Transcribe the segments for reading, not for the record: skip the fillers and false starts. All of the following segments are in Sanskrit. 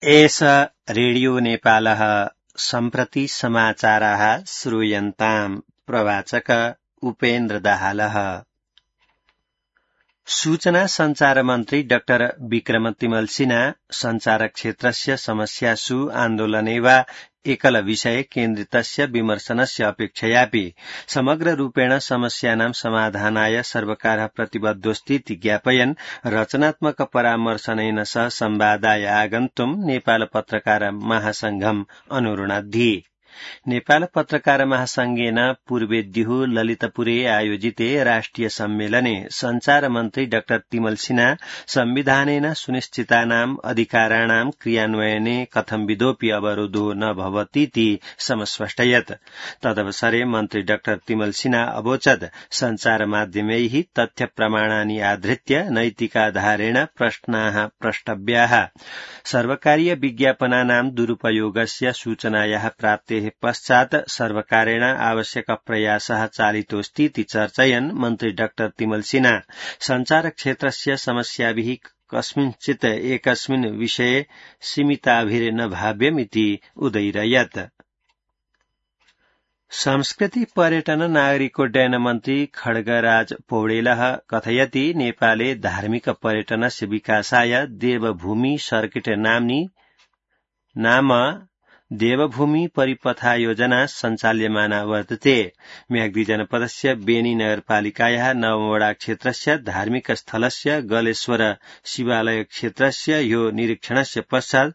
एष रेडियो नेपालः सम्प्रति समाचाराः श्रूयन्ताम्। प्रवाचक उपेन्द्र दाहालः। सूचना संचार मन्त्री डाक्टर विक्रम तिमल सिन्हा संचार क्षेत्रस्य समस्यासु आन्दोलने वा एकल विषय केन्द्रितस्य विमर्शनस्य अपेक्षयापि समग्र रूपेण समस्यानां समाधानाय सर्वकारः प्रतिबद्धोऽस्तीति ज्ञापयन् रचनात्मक परामर्शनेन सह संवादाय आगन्तुं नेपाल पत्रकार महासंघम् अनुरुणद्धि। नेपाल पत्रकार महासंघेन पूर्वेद्युः ललितपुरे आयोजिते राष्ट्रिय सम्मेलने संचार मन्त्री डाक्टर तिमल सिन्हा संविधानेन सुनिश्चितानाम् अधिकाराणां क्रियान्वयने कथंविधोऽपि अवरोधो न भवतीति समस्पष्टयत्। तदवसरे मन्त्री डाक्टर तिमल सिन्हा अवोचत् संचार माध्यमैः तथ्य प्रमाणानि आधृत्य नैतिकाधारेण प्रश्नाः प्रष्टव्याः। सर्वकारीय विज्ञापनानां दुरुपयोगस्य सूचनायाः प्राप्तेः पश्चात् सर्वकारेण आवश्यक प्रयासः चालितोऽस्तीति चर्चयन् मन्त्री डाक्टर तिमल सिन्हा संचार क्षेत्रस्य समस्याभिः कस्मिंश्चित् एकस्मिन् विषये सीमिताभिर्न भाव्यमिति उदयिरयत्। संस्कृति पर्यटन नागरिकोड्डयन मन्त्री खड्गराज पौडेलः कथयति नेपाले धार्मिक पर्यटनस्य विकासाय देवभूमि सर्किट नाम देवभूमि परिपथा योजना सञ्चाल्यमाना वर्तते। म्याग्दी जनपदस्य बेनी नगरपालिकायाः नवमवडा क्षेत्रस्य धार्मिक स्थलस्य गलेश्वर शिवालय क्षेत्रस्य यो निरीक्षणस्य पश्चात्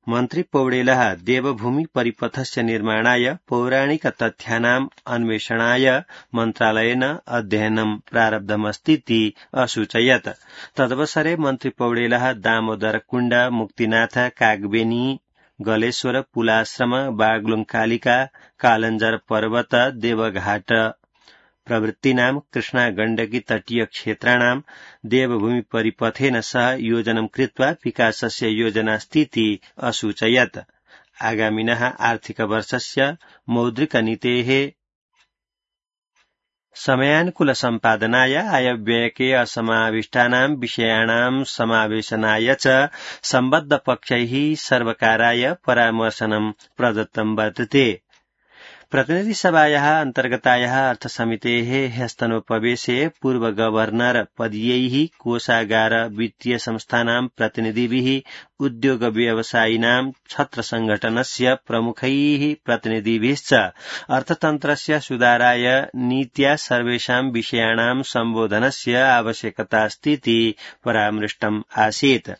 मन्त्री पौडेलः देवभूमि परिपथस्य निर्माणाय पौराणिक तथ्यानाम् अन्वेषणाय मन्त्रालयेन अध्ययनं प्रारब्धमस्तीति असूचयत्। तदवसरे मन्त्री पौडेलः दामोदर कुण्ड, मुक्तिनाथ, कागबेनी, गलेश्वर, पुलाश्रम, बागलुङ कालिका, कालञ्जर पर्वत, देवघाट प्रवृत्तीनां कृष्णा गण्डकी तटीय क्षेत्राणां देवभूमि परिपथेन सह योजनं कृत्वा विकासस्य योजनास्तीति असूचयत्। आगामिनः आर्थिक वर्षस्य मौद्रिकनीतेः समयानुकूल सम्पादनाय आयव्ययके असमाविष्टानां विषयाणां समावेशनाय च सम्बद्ध पक्षैः सर्वकाराय परामर्शनं प्रदत्तं वर्तते। प्रतिनिधि सभायाः अन्तर्गतायाः अर्थसमितेः ह्यस्तनोपवेशे पूर्व गवर्नर पदीयैः कोषागार वित्तीय संस्थानां प्रतिनिधिभिः उद्योग व्यवसायिनां छत्र संघटनस्य प्रमुखैः प्रतिनिधिभिश्च अर्थतन्त्रस्य सुधाराय नीत्या सर्वेषां विषयाणां सम्बोधनस्य आवश्यकतास्तीति परामृष्टम् आसीत्।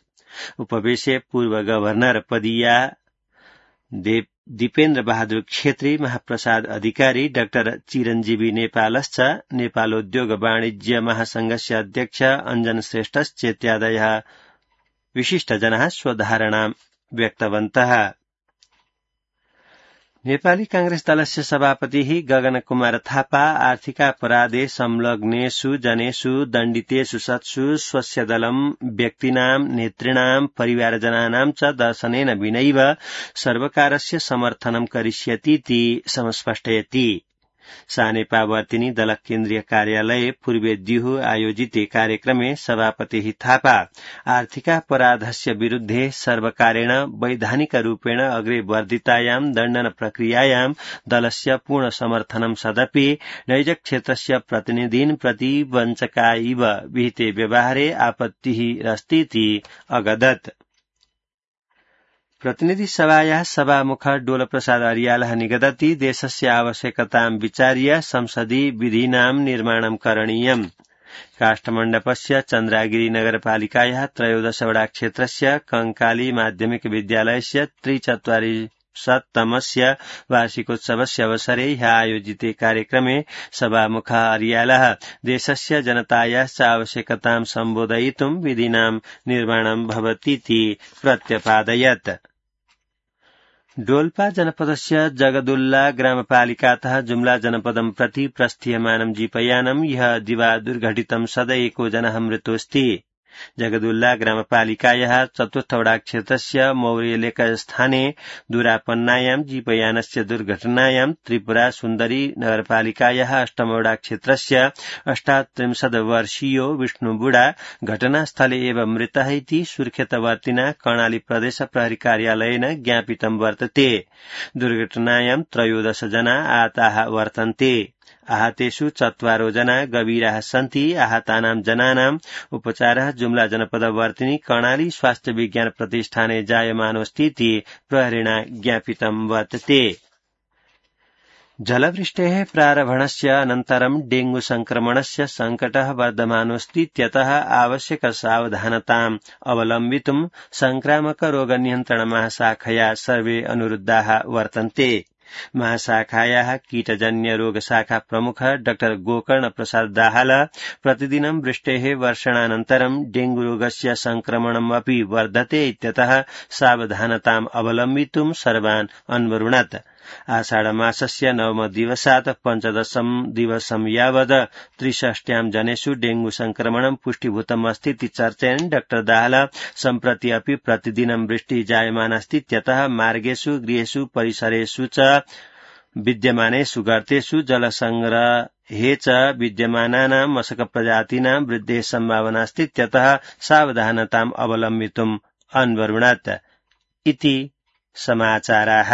उपवेशे पूर्व गवर्नर पदीया दीपेन्द्र बहादुर छेत्री, महाप्रसाद अधिकारी, डाक्टर चिरञ्जीवी नेपालश्च नेपालोद्योग वाणिज्य महासंघस्य अध्यक्ष अञ्जन श्रेष्ठश्चेत्यादयः विशिष्टजनाः स्वधारणां व्यक्तवन्तः। नेपाली कांग्रेस दलस्य सभापतिः गगन कुमार थापा आर्थिकापराधे संलग्नेषु जनेषु दण्डितेषु सत्सु स्वस्य दलं व्यक्तीनां नेतॄणां परिवारजनानां च दर्शनेन विनैव सर्वकारस्य समर्थनं करिष्यतीति समस्पष्टयति। सानेपावर्तिनी दल केन्द्रीय कार्यालये पूर्वेद्युः आयोजिते कार्यक्रमे सभापतिः थापा आर्थिकापराधस्य विरुद्धे सर्वकारेण वैधानिकरूपेण अग्रे वर्धितायां दण्डन प्रक्रियायां दलस्य पूर्ण समर्थनं सदपि नैजक्षेत्रस्य प्रतिनिधीन् प्रति वञ्चका इव विहिते व्यवहारे आपत्तिः अस्तीति अगदत्। प्रतिनिधि सभायाः सभामुख डोलप्रसाद अर्यालः निगदति देशस्य आवश्यकतां विचार्य संसदि विधीनां निर्माणं करणीयम्। काष्ठमण्डपस्य चन्द्रागिरी नगरपालिकायाः 13 वडा क्षेत्रस्य कंकाली माध्यमिक विद्यालयस्य 43तमस्य वार्षिकोत्सवस्य अवसरे ह्यः आयोजिते कार्यक्रमे सभामुख अर्यालः देशस्य जनतायाश्च आवश्यकतां सम्बोधयितुं विधीनां निर्माणं भवतीति प्रत्यपादयत्। डोल्पा जनपदस्य जगदुल्ला ग्रामपालिकातः जुम्ला जनपदं प्रति प्रस्थीयमानं जीपयानं ह्यः दिवा दुर्घटितं सद एको जनः मृतोऽस्ति। जगदुल्ला ग्रामपालिकायाः चतुर्थवडाक्षेत्रस्य मौर्यलेखस्थाने दुरापन्नायां जीपयानस्य दुर्घटनायां त्रिपुरा सुन्दरी नगरपालिकायाः अष्टमवडाक्षेत्रस्य 38 वर्षीयो विष्णुबुडा घटनास्थले एव मृतः इति सुर्खेतवर्तिना कर्णाली प्रदेश प्रहरी कार्यालयेन ज्ञापितं वर्तते। दुर्घटनायां 13 जना आहताः वर्तन्ते। आहतेषु 4 जना गभीराः सन्ति। आहतानां जनानाम् उपचारः जुम्ला जनपदवर्तिनी कर्णाली स्वास्थ्य विज्ञान प्रतिष्ठाने जायमानोऽस्ति इति प्रहरिणा ज्ञापितं वर्तते। जलवृष्टेः प्रारम्भणस्य अनन्तरं डेंगू संक्रमणस्य सङ्कटः वर्धमानोऽस्तीत्यतः आवश्यकसावधानताम् अवलम्बितुं संक्रामक रोग नियन्त्रण महाशाखया सर्वे अनुरुद्धाः वर्तन्ते। महाशाखायाः कीटजन्य रोग शाखा प्रमुख डॉ गोकर्ण प्रसाद दाहाल प्रतिदिनं वृष्टेः वर्षणानन्तरं डेंगू रोगस्य संक्रमणमपि वर्धते इत्यतः सावधानताम् अवलम्बितुं सर्वान् अन्वरुणत्। आषाढमासस्य 9 दिवसात् 15 दिवसं यावत् 63 जनेषु डेंगू संक्रमणं पुष्टीभूतम् अस्ति इति चर्चयन् डॉ दाहाल सम्प्रति अपि प्रतिदिनं वृष्टिः जायमानास्ति इत्यतः मार्गेषु गृहेषु परिसरेषु च विद्यमानेषु गर्तेषु जलसंग्रहे च विद्यमानानां मशकप्रजातीनां वृद्धेः सम्भावनास्ति इत्यतः सावधानताम् अवलम्बितुम् अन्वरुणत् इति समाचाराः।